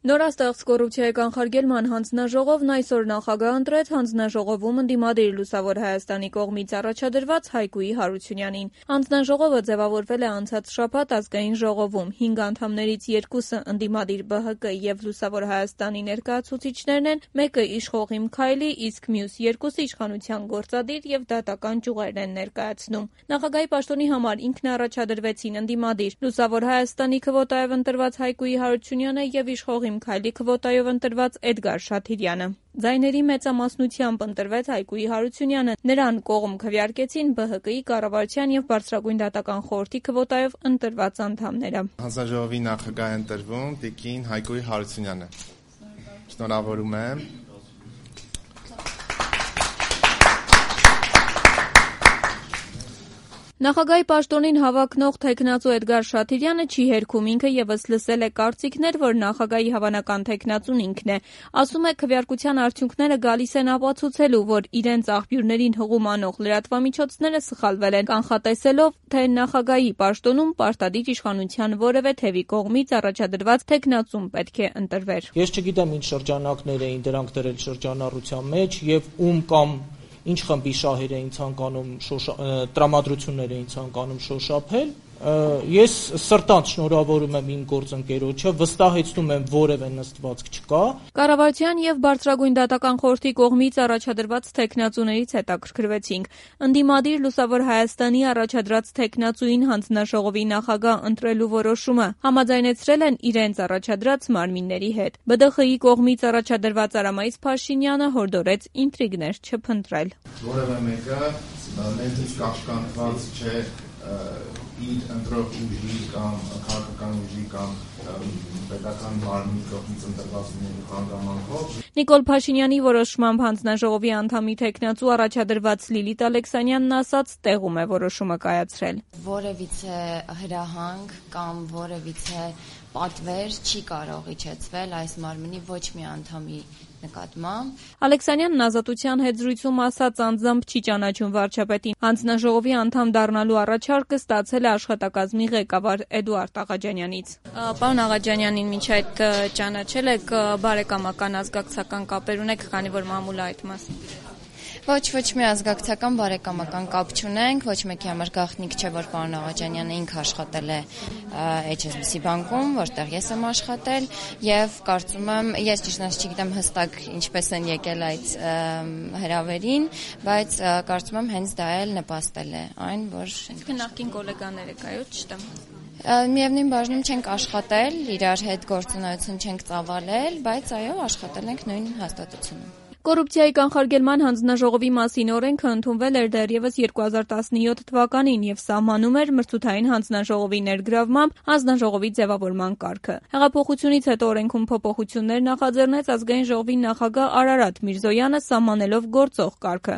Նորաստեղծ կոռուպցիայի կանխարգելման հանձնաժողովն այսօր նախագահ ընտրեց հանձնաժողովում ընդդիմադիր Լուսավոր Հայաստանի կողմից առաջադրված Հայկուի Հարությունյանին։ Հանձնաժողովը ձևավորվել է անցած շաբաթ ազգային ժողովում։ 5 անդամներից 2-ը ընդդիմադիր ԲՀԿ եւ Լուսավոր Հայաստանի ներկայացուցիչներն են, մեկը իշխող Իմ Քայլի, իսկ մյուս 2-ը իշխանության գործադիր եւ դատական ճյուղերն են ներկայացնում։ Նախագահի պաշտոնի համար ինքն առաջադրվեցին ընդդիմադիր Լուսավոր Հայաստանի քվոտայով ընտրված Հայկուի Հարությունյանը եւ իշխող Իմ Քայլի քվոտայով ընտրված Էդգար Շաթիրյանը։ Ձայների մեծամասնությամբ ընտրվեց Հայկուի Հարությունյանը։ Նրան կողմ քվեարկեցին ԲՀԿ-ի կառավարության եւ Բարձրագույն դատական խորհրդի քվոտայով ընտրված անդամները։ Հանձնաժողովի նախագահ է ընտրվում տիկին Հայկուի Հարությունյանը։ Շնորհավորում եմ։ Նախագահի պաշտոնին հավակնող թեկնածու Էդգար Շաթիրյանը չի հերքում, ինքը եւս լսել է կարծիքներ, որ նախագահի հավանական թեկնածուն ինքն է։ Ասում է, քվեարկության արդյունքները գալիս են ապացուցելու, որ իրենց աղբյուրներին հղում անող լրատվամիջոցները սխալվել են, կանխատեսելով, թե նախագահի պաշտոնում պարտադիր իշխանության որևէ թևի կողմից առաջադրված թեկնածուն պետք է ընտրվեր։ Ես չգիտեմ ինչ շրջանակներ էին դրանք դրել շրջանառության մեջ եւ ում կամ ինչ խմբի շահեր էին ցանկանում տրամադրություններ էին ցանկանում շոշափել։ Ես սրտանց շնորհավորում եմ իմ գործընկերոջը, վստահեցնում եմ որևէ նստվածք չկա։ Կառավարության եւ Բարձրագույն դատական խորհրդի կողմից առաջադրված թեկնածուներից հետաքրքրվեցինք։ Ընդդիմադիր Լուսավոր Հայաստանի առաջադրած թեկնածուին հանձնաժողովի նախագահ ընտրելու որոշումը համաձայնեցրել են իրենց առաջադրած մարմինների հետ։ ԲԴԽ-ի կողմից առաջադրված Արամայից Փաշինյանը հորդորեց ինտրիգներ չփնտրել։ Որևէ մեկը մեզից կաշկանդված չէ իր ընտրող ուժի կամ քաղաքական ուժի կամ պետական մարմնի կողմից ընտրված հանգամանքով։ Նիկոլ Փաշինյանի որոշմամբ հանձնաժողովի անդամի թեկնածու առաջադրված Լիլիթ Ալեքսանյանն ասաց, տեղում է որոշումը կայացրել։ Որևիցե հրահանգ կամ որևիցե պատվեր չի կարող իջեցվել այս մարմնի ոչ մի անդամի նկատմամբ։ Ալեքսանյանն Ազատության հետ զրույցում ասաց, անձամբ չի ճանաչում վարչապետին։ Հանձնաժողովի անդամ դառնալու առաջարկը ստացել է աշխատակազմի ղեկավար Էդուարդ Աղաջանյանից։ Պարոն Աղաջանյանին մինչ այդ ճանաչել եք, բարեկամական ազգակցական կապեր ունեք, քանի որ մամուլը այդ մասն։ Ոչ մի ազգակցական բարեկամական կապ չունենք, ոչ մեկի համար գաղտնիք չէ, որ պարոն Աղաջանյանը ինքը աշխատել է HSBC բանկում, որտեղ ես եմ աշխատել, եւ կարծում եմ, ես ճիշտ չգիտեմ հստակ ինչպես են եկել այդ հրավերին, բայց կարծում եմ հենց դա էլ նպաստել է այն, որ նախկին գոլեգաներ եք, այո, չտեմ։ Միևնույն բաժնում չենք աշխատել, իրար հետ գործունեություն չենք ծավալել, բայց այո, աշխատել ենք նույն հաստատությունում։ Կոռուպցիայի կանխարգելման հանձնաժողովի մասին օրենքը ընդունվել էր դեռևս 2017 թվականին եւ սահմանում էր մրցութային հանձնաժողովի ներգրավմամբ հանձնաժողովի ձևավորման կարգը։ Հեղափոխությունից հետո օրենքում փոփոխություններ նախաձեռնեց ազգային ժողովի նախագահ Արարատ Միրզոյանը, սահմանելով գործող կարգը։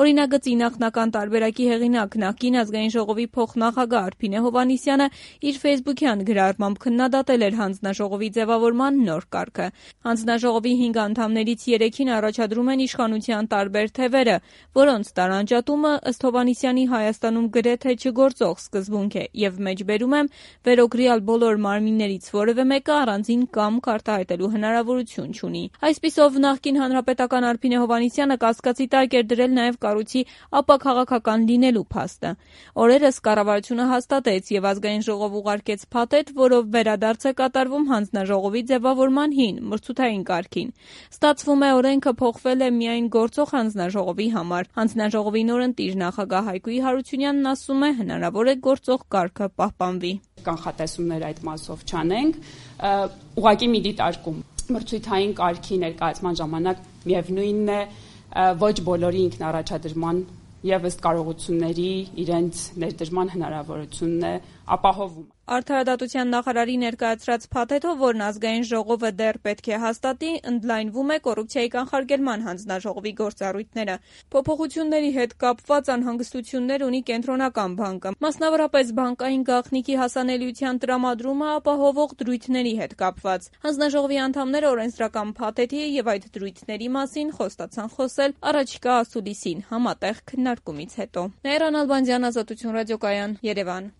Օրինագծի նախնական տարբերակի հեղինակ նախկին ազգային ժողովի փոխնախագահ Արփինե Հովհաննիսյանը իր Facebook-յան գրառմամբ քննադատել էր հանձնաժողովի ձևավորման նոր կարգը։ Հանձնաժողովի 5 անդամներից 3-ին առաջադրում են իշխանության տարբեր թևերը, որոնց տարանջատումը ըստ Հովհաննիսյանի Հայաստանում գրեթե չգործող սկզբունք է եւ մեջբերում եմ վերօգրյալ բոլոր մարմիններից որևէ մեկը առանձին կամք արտահայտելու հնարավորություն չունի։ Այսպիսով նախկին հանրապետական Արփինե Հովհաննիսյանը կասկածի տակ էր դրել նաեւ կառույցի ապաքաղաքական լինելու փաստը։ Օրերս կառավարությունը հաստատեց եւ ազգային ժողով ուղարկեց փաթեթ, որով վերադարձ է կատարվում հանձնաժողովի ձևավորման հին մրցութային կարգին։ Ստացվում է օրենքը փոխվել է միայն գործող հանձնաժողովի համար։ Հանձնաժողովի նորընտիր նախագահ Հայկուի Հարությունյանն ասում է, հնարավոր է գործող կարգը պահպանվի։ Կանխատեսումներ այդ մասով չանենք, ուղղակի մի դիտարկում մրցութային կարգի ներկայացման ժամանակ միևնույնն է, ոչ բոլորի ինքնառաջադրման եւ ըստ կարողությունների իրենց ներդրման հնարավորությունն է ապահովում։ Արդարադատության նախարարի ներկայացրած փաթեթով, որն ազգային ժողովը դեռ պետք է հաստատի, ընդլայնվում է կոռուպցիայի կանխարգելման հանձնաժողովի գործառույթները։ Փոփոխությունների հետ կապված անհանգստություններ ունի Կենտրոնական բանկը, մասնավորապես բանկային գաղտնիքի հասանելիության տրամադրումը ապահովող դրույթների հետ կապված։ Հանձնաժողովի անդամները օրենսդրական փաթեթի եւ այդ դրույթների մասին խոստացան խոսել առաջիկա ասուլիսին համատեղ քննարկումից հետո։ Նաիրա Նալբանդյան, Ազատություն ռադիոկայան, Երևան։